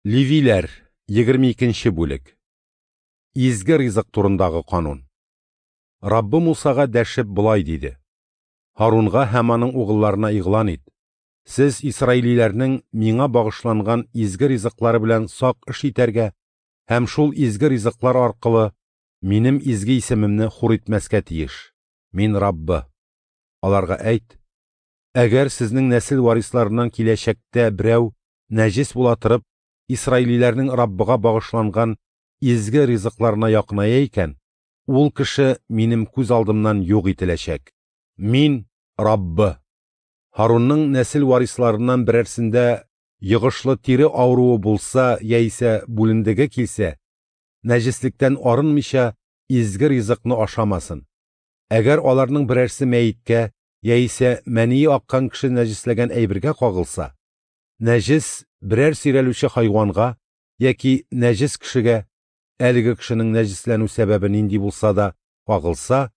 Левиләр, 22 бүлек. Изге ризык турындагы канун. Раббы Мусага дәшеп болай диде: Һарунга һәм аның угылларына игълан ит: сез исраилиләрнең миңа багышланган изге ризыклары белән сак эш итәргә һәм шул изге ризыклар аркылы минем изге исемемне хур итмәскә тиеш. Мин Раббы. Аларга әйт: әгәр сезнең нәсел варисларыннан киләчәктә берәү нәҗес була торып, исраилиләрнең Раббыга багышланган изге ризыкларына якыная икән, ул кеше минем күз алдымнан юк ителәчәк. Мин Раббы. Һарунның нәсел варисларыннан берәрсендә йогышлы тире авыруы булса яисә бүлендеге килсә, нәҗеслектән арынмыйча изге ризыкны ашамасын. Әгәр аларның берәрсе мәеткә яисә мәние аккан кеше нәҗесләгән әйбергә кагылса, нәҗес берәр сөйрәлүче хайванга яки нәҗес кешегә, әлеге кешенең нәҗесләнү сәбәбе нинди булса да кагылса,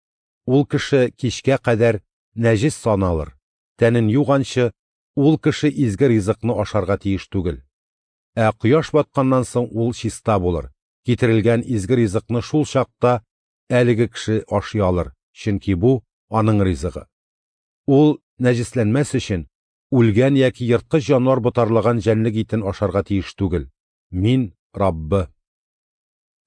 ул кеше кичкә кадәр нәҗес саналыр, тәнен юганчы ул кеше изге ризыкны ашарга тиеш түгел. Ә кояш батканнан соң ул чиста булыр, китерелгән изге ризыкны шул чакта әлеге кеше ашый алыр, чөнки бу аның ризыгы. Ул нәҗесләнмәс өчен үлгән яки ерткыч җанвар ботарлаган җәнлек итен ашарга тиеш түгел. Мин Раббы.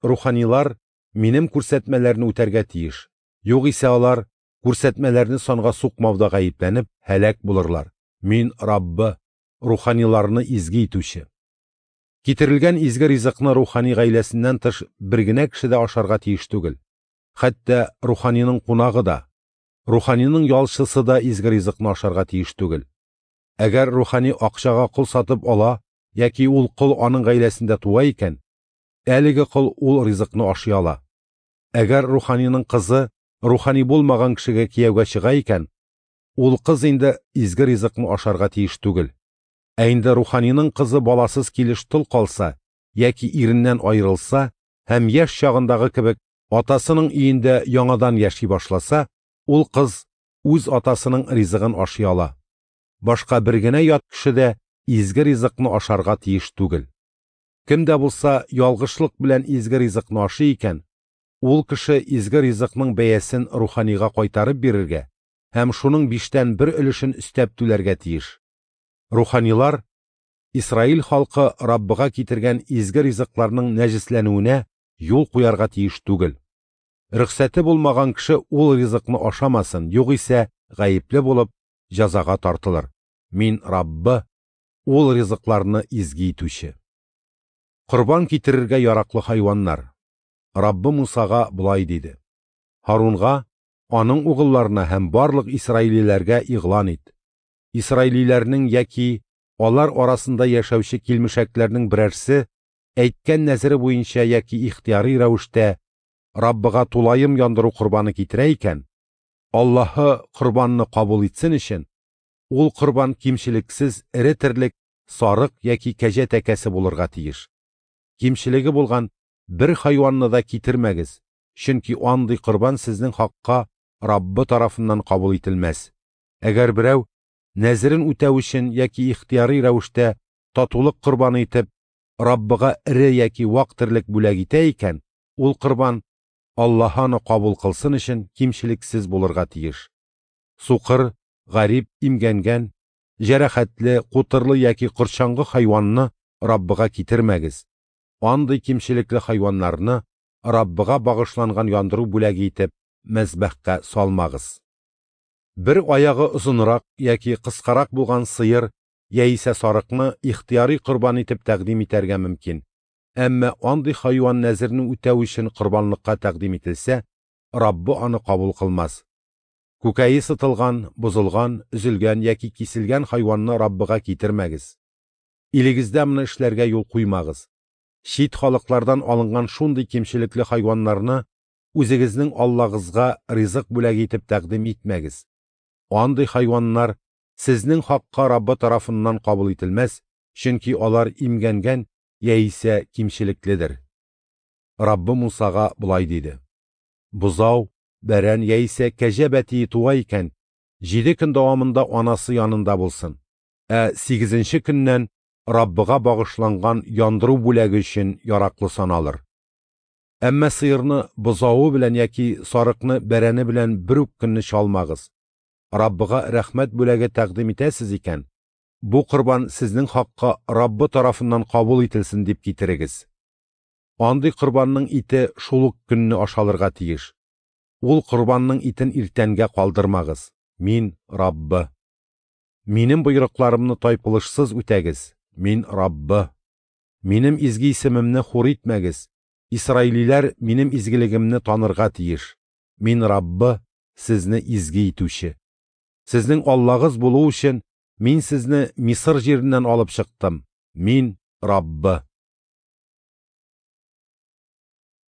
Руханилар минем күрсәтмәләрне үтәргә тиеш. Югыйсә алар күрсәтмәләрне санга сукмауда гаепләнеп һәлак булырлар. Мин Раббы, руханиларны изге итүче. Китерелгән изге ризыкны рухани гаиләсеннән тыш бер генә кеше дә ашарга тиеш түгел. Хәтта руханиның кунагы да, руханиның ялчысы да изге ризыкны ашарга тиеш түгел. Әгәр рухани акчага кол сатып ала яки ул кол аның гаиләсендә туа икән, әлеге кол ул ризыкны ашый ала. Әгәр руханиның кызы рухани булмаган кешегә кияүгә чыга икән, ул кыз инде изге ризыкны ашарга тиеш түгел. Ә инде руханиның кызы баласыз килеш тол калса яки иреннән аерылса һәм яшь чагындагы кебек атасының өендә яңадан яши башласа, ул кыз үз атасының ризыгын ашый ала. Башка бер генә ят кеше дә изге ризыкны ашарга тиеш түгел. Кем дә булса ялгышлык белән изге ризыкны ашый икән, ул кеше изге ризыкның бәясен руханига кайтарып бирергә һәм шуның 1/5 өлешен өстәп түләргә тиеш. Руханилар Исраил халкы Раббыга китергән изге ризыкларның нәҗесләнүенә юл куярга тиеш түгел. Рөхсәте булмаган кеше ул ризыкны ашамасын, югыйсә гаепле булып җәзага тартылыр. Мин Раббы, ул ризыкларны изге итүче. Корбан китерергә яраклы хайваннар. Раббы Мусага болай диде: Һарунга, аның угылларына һәм барлык исраилиләргә игълан ит. Исраилиләрнең яки алар арасында яшәүче килмешәкләрнең берәрсе әйткән нәзере буенча яки ихтыяри рәвештә Раббыга тулаем яндыру корбаны китерә икән, Аллаһы корбанны кабул итсен өчен, ул корбан кимчелексез эре терлек, сарык яки кәҗә тәкәсе булырга тиеш. Кимчелеге булган бер хайванны да китермәгез, чөнки андый корбан сезнең хакка Раббы тарафыннан кабул ителмәс. Әгәр берәү нәзерен үтәү өчен яки ихтыяри рәвештә татулык корбаны итеп Раббыга эре яки вак терлек бүләк итә икән, ул корбан Аллаһ аны кабул кылсын өчен кимчелексез булырга тиеш. Сукыр, гарип, имгәнгән, җәрәхәтле, кутырлы яки корчаңгы хайванны Раббыга китермәгез. Андый кимчелекле хайваннарны Раббыга багышланган яндыру бүләге итеп мәзбәхкә салмагыз. Бер аягы озынрак яки кыскарак булган сыер яисә сарыкны ихтыяри корбан итеп тәкъдим итәргә мөмкин. Әмма андый хайван нәзерне үтәү өчен корбанлыкка тәкъдим ителсә, Раббы аны кабул кылмас. Күкәе сытылган, бозылган, өзелгән яки киселгән хайванны Раббыга китермәгез. Илегездә моны эшләргә юл куймагыз. Чит халыклардан алынган шундый кимчелекле хайваннарны үзегезнең Аллагызга ризык бүләге итеп тәкъдим итмәгез. Андый хайваннар сезнең хакка Раббы тарафыннан кабул ителмәс, чөнки алар имгәнгән яисә кимчелекледер. Раббы Мусага болай диде: Бозау, бәрән яисә кәҗә бәтие туа икән, 7 көн дәвамында анасы янында булсын. Ә 8-нче көннән Раббыга багышланган яндыру бүләге өчен яраклы саналыр. Әмма сыерны бозавы белән яки сарыкны бәрәне белән бер үк көнне чалмагыз. Раббыга рәхмәт бүләге тәкъдим итәсез икән, бу корбан сезнең хакка Раббы тарафыннан кабул ителсен дип китерегез. Андый корбанның ите шул ук көнне ашалырга тиеш. Ул корбанның итен иртәнгә калдырмагыз. Мин Раббы. Минем боерыкларымны тайпылышсыз үтәгез. Мин Раббы. Минем изге исемемне хур итмәгез. Исраилиләр минем изгелегемне танырга тиеш. Мин Раббы, сезне изге итүче. Сезнең Аллагыз булу өчен, Мин сезне Мисыр җиреннән алып чыктым. Мин Раббы.